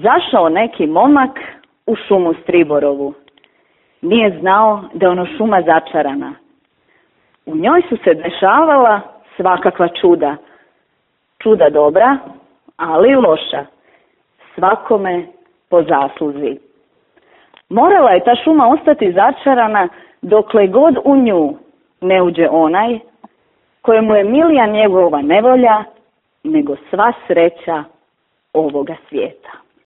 Zašao neki momak u šumu Striborovu. Nije znao da je ono šuma začarana. U njoj su se dešavala svakakva čuda. Čuda dobra, ali i loša. Svakome po zasluzi. Morala je ta šuma ostati začarana dokle god u nju ne uđe onaj kojemu je milija njegova nevolja nego sva sreća ovoga svijeta.